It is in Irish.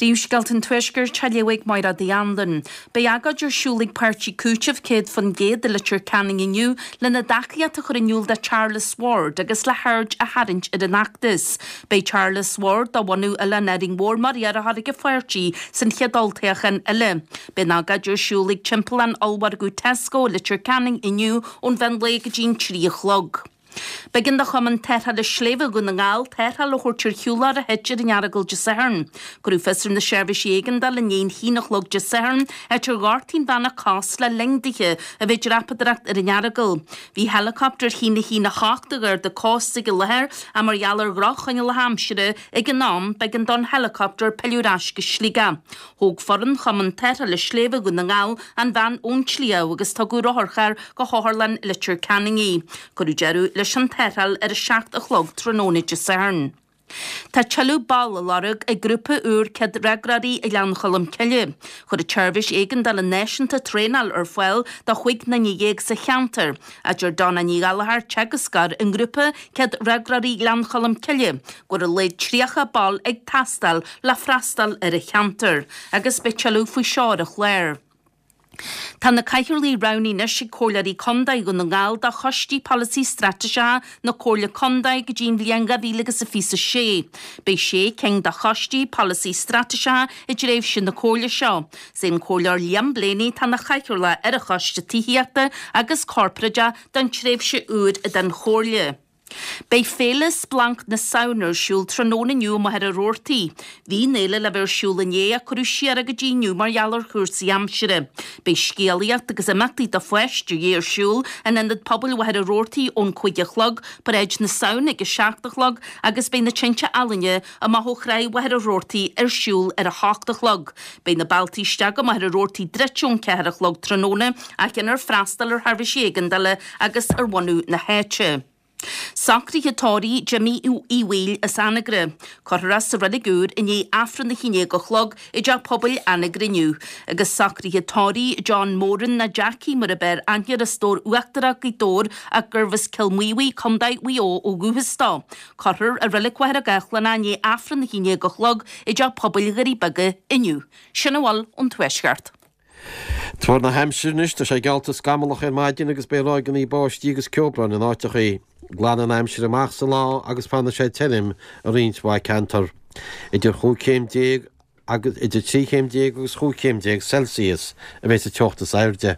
Príomhscéalta an Tuaiscirt á léamh ag Máire Uí Anluain. Beidh agóid ar siúl ag Páirtí Cúitimh 100% i Leitir Ceanainn inniu lena dtacaíocht a chur in iúl do Charles Ward agus le haird a tharraingt ar an fheachtas. Beidh Charles Ward de bhunadh Oileán Árainn Mhór mar iarrthóir ag an pháirtí san chéad olltoghchán eile. Beidh an agóid ar siúl ag timpeallán ollmhargadh Tesco i Leitir Ceanainn inniu ón mheán lae go dtí an 3 a chlog. B'éigean do Chumann Tarrthála Sléibhe Dhún na nGall tarrtháil a thabhairt ar shiúlóir a thit ar an Earagail Dé Sathairn. Cuireadh fios ar na seirbhísí éigeandála i ndiaidh a haon a chlog Dé Sathairn, áit ar ghortaigh an bhean a cos le linn dithe a bheith ag dreapadóireacht ar an Earagail. Bhí heileacaptar 1 1 8 de Gharda Cósta ag an láthair ach mar gheall ar dhroch-choinníollacha aimsire ag an am, b'éigean don heileacaptar pilleadh ar ais go Sligeach. Thóg foireann Chumann Tarrthála Sléibhe Dhún na nGall an bhean ón tsliabh agus tugadh rotharcharr go hOtharlann Leitir Ceanainn í. Cuireadh deireadh leis an tarrtháil ar 7 a chlog tráthnóna Dé Sathairn. Tá tuilleadh ball á lorg ag grúpa úr céadfhreagróirí i nGleann Cholm Cille. Chuir an tSeirbhís Éigeandála Náisiúnta traenáil ar fáil do chúig nduine dhéag sa cheantar, a deir Donna Ní Ghallchóir, teagascóir i ngrúpa Céadfhreagróirí Ghleann Cholm Cille, go bhfuil ar a laghad 30 ball ag teastáil le freastal ar an cheantar agus beidh tuilleadh faoi seo ar an chlár. Tá na cathaoirligh roghnaithe anois ag Comhairleoirí Contae Dhún na nGall do Choistí Polasaí Straitéiseacha na Comhairle Contae go dtí an bhliain 2026. Beidh sé cinn de Choistí Polasaí Straitéiseacha i dtréimhse na Comhairle seo. Is é an Comhairleoir Liam Blaney atá ina chathaoirleach ar an Choiste Tithíochta agus Corparáideach don tréimhse úr den Chomhairle. Beidh Féile Splanc na Samhna ar siúl tráthnóna inniu i Machaire Rabhartaigh. Bhí an fhéile le bheith ar siúl inné ach cuireadh siar é go dtí inniu mar gheall ar chúrsaí aimsire. Beidh scéalaíocht agus imeachtaí do pháistí ar siúl in Ionad Pobail Mhachaire Rabhartaigh ón 5 a chlog, Paráid na Samhna ag 7 a chlog agus beidh na tinte ealaíne amach ó Chreag Mhachaire Rabhartaigh ar siúl ar 8 a chlog. Beidh na bealtaí isteach go Machaire Rabhartaigh druidte ón 4 a chlog tráthnóna ach déanfar freastal ar sheirbhísí éigeandála agus ar bhunadh na háite. Socruithe tórraimh Jimmy Uí Bhaoill as Anagaire. Cuirfear é sa Reilig Úr i ndiaidh Aifreann a 11 a chlog i dTeach Pobail Anagaire inniu. Agus socruithe tórraimh John Moran nó Jackie mar ab fhearr aithne air as Dobhar Uachtarach, Gaoth Dobhair ach gurbh as Cill Maobhaí, Co. Mhaigh Eo ó dhúchas dó. Cuirfear i Reilig Mhachaire Gathlán é i ndiaidh Aifreann a 11 a chlog i dTeach Pobail Dhoirí Beaga inniu. Sin a bhfuil ón Tuaisceart. Tuar na haimsire anois, tá sé geallta scamallach ar maidin agus beidh ráigeanna báistí agus ceobhráin in áiteachaí. Glanfaidh an aimsir amach sa lá agus fanfaidh sé tirim i roinnt mhaith ceantar. Idir chúig chéim déag agus idir 13 chéim agus chúig chéim déag Celsius a bheidh sa teocht is airde.